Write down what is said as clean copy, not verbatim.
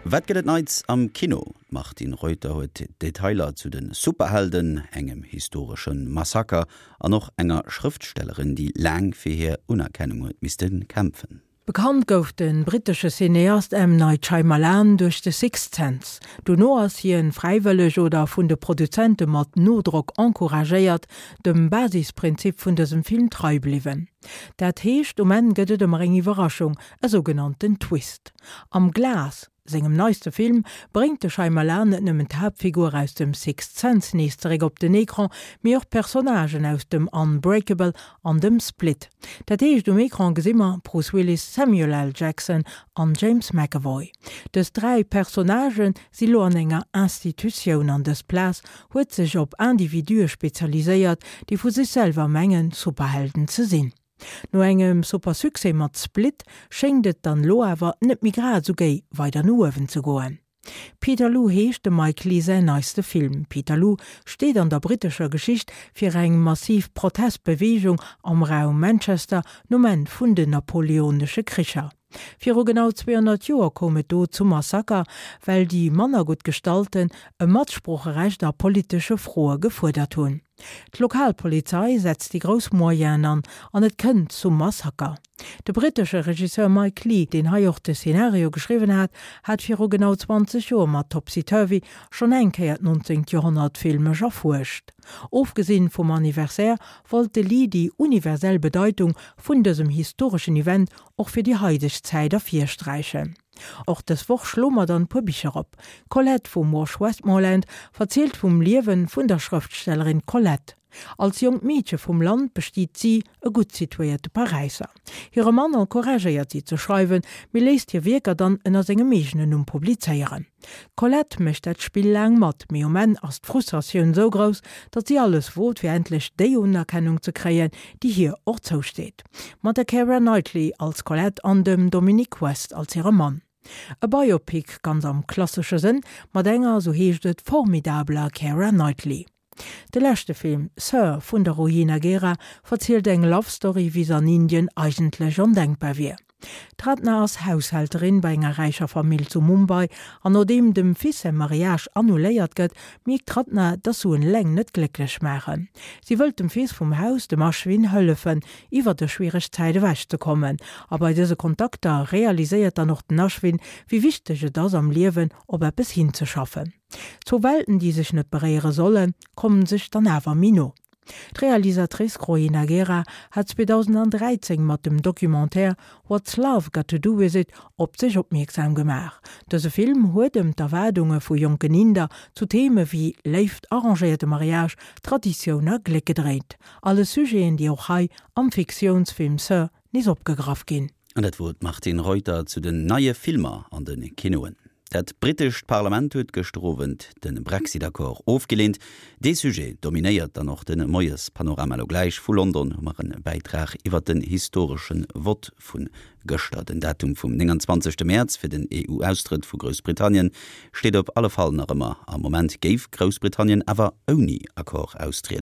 Wat gëtt et Neits am Kino? D'Martine Reuter huet Detailer zu de Superhelden, engem historesche Massaker an och enger Schrëftstellerin, déi laang fir hir Unerkennung huet misste kämpfen. Bekannt gouf de brittesche Cineast M. Night Shyamalan duerch The Sixth Sense. Dono ass hien, fräiwëlleg oder vun de Produzente mat Nodrock encouragéiert, dem Basisprinzip vun dësem Film trei bliwwen. Dat heescht, um Enn gëtt et ëmmer eng Iwwerraschung, e sougenannten Twist. Am Glass, sengem neiste Film, bréngt de Shyamalan net nëmmen d'Haaptfigur aus dem Sixth Sense nees zeréck op den Ecran, mee och d'Personnagen aus dem Unbreakable an dem Split. Dat heescht, um Ecran gesi mer Bruce Willis, Samuel L. Jackson an James McAvoy. Dës 3 Personnagë si lo an enger Institutioun an dës Plaz huet sech op Individue spezialiséiert, déi vu sech selwer mengen, Superhelden ze sinn. No engem super Succès mat Split schéngt et dann lo awer net méi grad esou géi weider no uewen ze goen. Peterloo heescht dem Mike Leigh säin neiste Film. Peterloo steet an der brittescher Geschicht fir eng massiv Protestbeweegung am Raum Manchester nom Enn vun den napoleonesche Kricher. Viru genau 200 Joer koum et do zum Massaker, well déi manner gutt Gestallten e Matsproocherecht a politesche Froe gefuerdert hunn. D'Lokalpolizei setzt déi grouss Moyenen an, an et kënnt zum Massaker. De brittesche Regisseur Mike Leigh, deen hei och de Szenario geschriwwen hat, hat viru genau 20 Joer mat Topsy Turvy schonn eng Kéier d'nonzéngt Joerhonnert filmesch erfuerscht. Ofgesinn vum Anniversaire wollt de Leigh déi universell Bedeitung vun dësem historeschen Event och fir déi haideg Zäit ervirsträichen. Och dës Woch schloe mer dann puer Bicher op. Colette vum Wash Westmoreland verzielt vum Liewen vun der Schrëftstellerin Colette. Als jonkt Meedche vum Land bestiet si e gutt situéierte Paräisser. Hire Mann encouragéiert si ze schreiwen, mee léisst hir Wierker dann ënner sengem eegenen Numm publizéieren. D'Colette mécht dat Spill laang mat, mee um Enn ass d'Frustratioun sou grouss, datt si alles wot, fir endlech déi Unerkennung ze kréien, déi hir och zousteet. Mat der Keira Knightley als Colette an dem Dominic West als hire Mann. E Biopic ganz am klassesche Sënn, mat enger, sou heescht et, formidabeler Keira Knightley. De leschte Film, Sir vun der Rohina Gera, verzielt eng Love Story, wéi se an Indien eigentlech ondenkbar wier. D'Ratna ass Haushälterin bei enger räicher Famill zu Mumbai an nodeem dem Fils säi Mariage annuléiert gëtt, mierkt d'Ratna, dass Suen eleng net glécklech maachen. Si wëllt dem Fils vum Haus, dem Ashwin, hëllefen, iwwer dës schwiereg Zäit ewech ze kommen. A bei dëse Kontakter realiséiert dann och den Ashwin, wéi wichteg et ass am Liewen op eppes hinzeschaffen. Zwou Welten, déi sech net beréiere sollen, kommen sech dann awer méi no. D'Realisatrice Rohena Gera hat 2013 mat dem Documentaire What's Love Got to Do With It op sech opmierksam gemaach. Dëse Film huet ëm d'Erwaardunge vu jonken Inder zu Theme wéi Léift, arrangéierte Mariage, Traditioun a Gléck gedréint. Alles Sujeten, déi och hei am Fiktiounsfilm Sir nees opgegraff ginn. An dat wor d'Martine Reuter zu den neie Filmer an de Kinoen. Dat brittescht Parlament huet gëschter Owend de Brexit-Accord ofgeleent. Dee Sujet dominéiert dann och de Moiespanorama. Elo gläich vu London hu mer e Bäitrag iwwer den historesche Vott vu gëschter. Den Datum vum 29 Mäerz fir den EU-Austrëtt vu Groussbritannien steet op alle Fall nach ëmmer. Am Moment géif Groussbritannien awer ouni Accord austrieden.